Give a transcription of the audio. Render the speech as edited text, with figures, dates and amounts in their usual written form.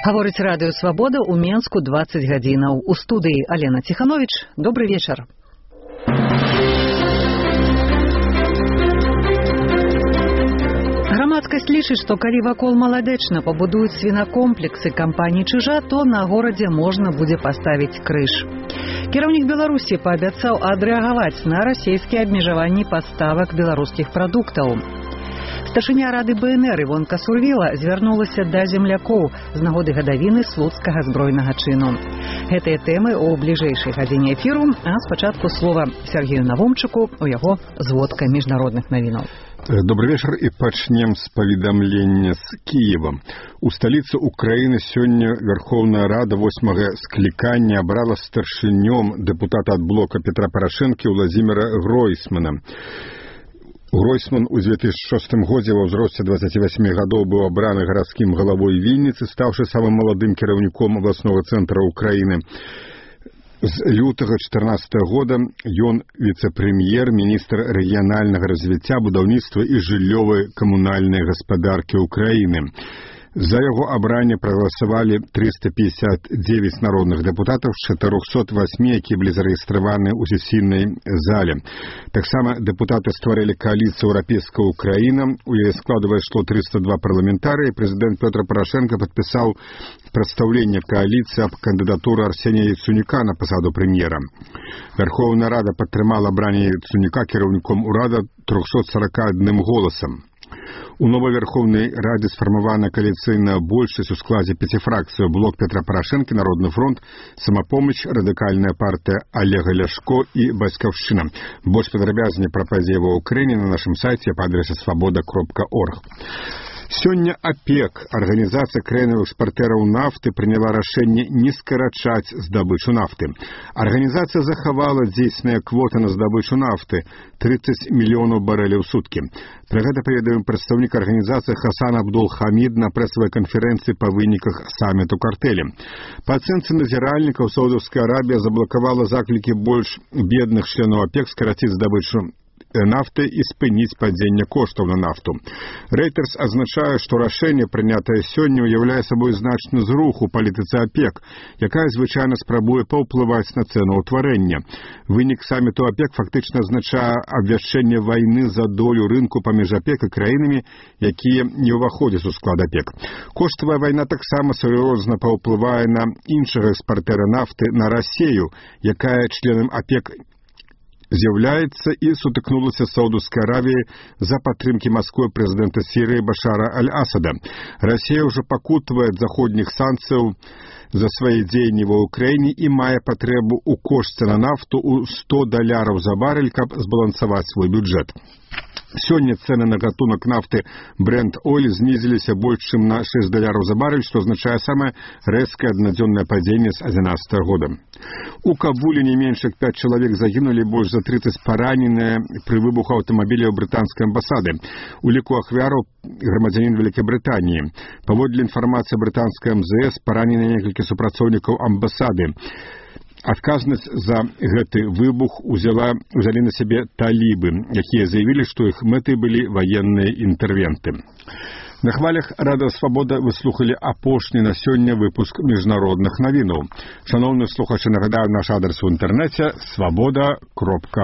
Гаворыць радыё «Свабода» ў Менску 20 гадзінаў. У студыі Алена Ціхановіч. Добры вечар. Грамадскасць лічыць, што калі вакол Маладэчна пабудуюць свінакомплексы кампаніі «Чыжа», то на горадзе можна будзе паставіць крыж. Кіраўнік Беларусі паабяцаў адрэагаваць на расійскія абмежаванні паставак беларускіх прадуктаў. Старшыня рады БНР Івонка Сурвіла звярнулася да землякоў з нагоды гадавіны слуцкага збройнага чыну. Гэтыя тэмы ў бліжэйшай гадзіне эфіру, а спачатку слова Сергею Навумчыку у яго зводка міжнародных навінаў. Добрый вечер, и пачнем с паведамлення з Киева. У сталіцы Украины сёння Верховная Рада 8-го склікання абрала старшынём дэпутата ад блока Петра Порошенки Владимира Гройсмана. Гройсман у 2006 годзе ва ўзросце 28 гадоў быў абраны гарадскім галавой Вінніцы, стаўшы самым маладым кіраўніком абласнога цэнтра Украины. З лютага 2014 года ён віцэ-прэм'ер, міністр рэгіянальнага развіцця, будаўніцтва і жыллёвай камунальнай гаспадаркі Украины. За яго абранне прагаласавалі 359 народных дэпутатаў з 408, якія былі зарэгістраваны ў сесійнай зале. Таксама дэпутаты стварылі кааліцыю «Еўрапейская Украіна». У яе складу ўвайшло 302 парламентарыя. Прэзідэнт Петр Порошенко падпісаў прадстаўленне кааліцыі аб кандыдатуры Арсенія Яценюка на пасаду прэм'ера. Верховная Рада падтрымала абранне Яценюка кіраўніком урада 341 голосам. У новой Верховной Раде сфармавана коаліцыйная большасць у складзе 5 фракцый: блок Петра Порошенко, Народный фронт, Самапомач, радыкальная партия Олега Ляшко и Бацькаўшчына. Больш падрабязней пра падзеі ва Ўкраіне на нашым сайце па адрэсе svoboda.org. Сёння ОПЕК, Организация краінных экспартэраў нафты, прыняла рашэнне не скарачаць здабычу нафты. Арганізацыя захавала дзейсныя квоты на здабычу нафты 30 мільёнаў барэляў у суткі. Пра гэта паведаміў прадстаўнік арганізацыі Хасан Абдул-Хамід на прэсавай канферэнцыі па выніках саміту картэлі. Па ацэнцы назіральнікаў, Саудаўская Арабія заблакавала заклікі больш бедных членаў ОПЕК скараціць здабычу нафты і спыніць падзенне коштаў на нафту. Reuters азначае, што рашэнне, прынятае сёння, уяўляе сабой значны зрух у палітыцы ОПЕК, якая звычайна спрабуе паўплываць на цэнаўтварэнне. Вынік саміту ОПЕК фактычна азначае абвяшчэнне вайны за долю рынку паміж ОПЕК і краінамі, якія не ўваходзяць у склад ОПЕК. Коштавая вайна таксама сур'ёзна паўплывае на іншага экспартэра нафты, на Расею, якая членам ОПЕК з'яўляецца і сутыкнулася з Саудаўскай Аравіяй за падтрымкі Масквы прэзідэнта Сірыі Башара аль-Асада. Расія ўжо пакутвае ад заходніх санкцыяў за свае дзеянні ва Ўкраіне і мае патрэбу ў кошце на нафту ў $100 за барэль, каб збалансаваць свой бюджэт. Сёння цэны на гатунак нафты Brent Oil знізіліся больш чым на $6 за барэль, што азначае самае рэзкае аднадзённае падзенне з 2011 года. У Кабуле не менш як 5 чалавек загінулі, больш за 30 параненыя пры выбуху аўтамабіля ў брытанскай амбасады. У ліку ахвяраў грамадзянін Вялікай Брытаніі. Паводле інфармацыі брытанскай МЗС, паранены некалькі супрацоўнікаў амбасады. Адказнасць за гэты выбух узялі на сябе талібы, якія заявілі, што іх мэтай былі ваенныя інтэрвенты. На хвалях радыё «Свабода» вы слухалі апошні на сёння выпуск міжнародных навінаў. Шаноўныя слухачы, нагадаю наш адрес у інтэрнэце svoboda.org.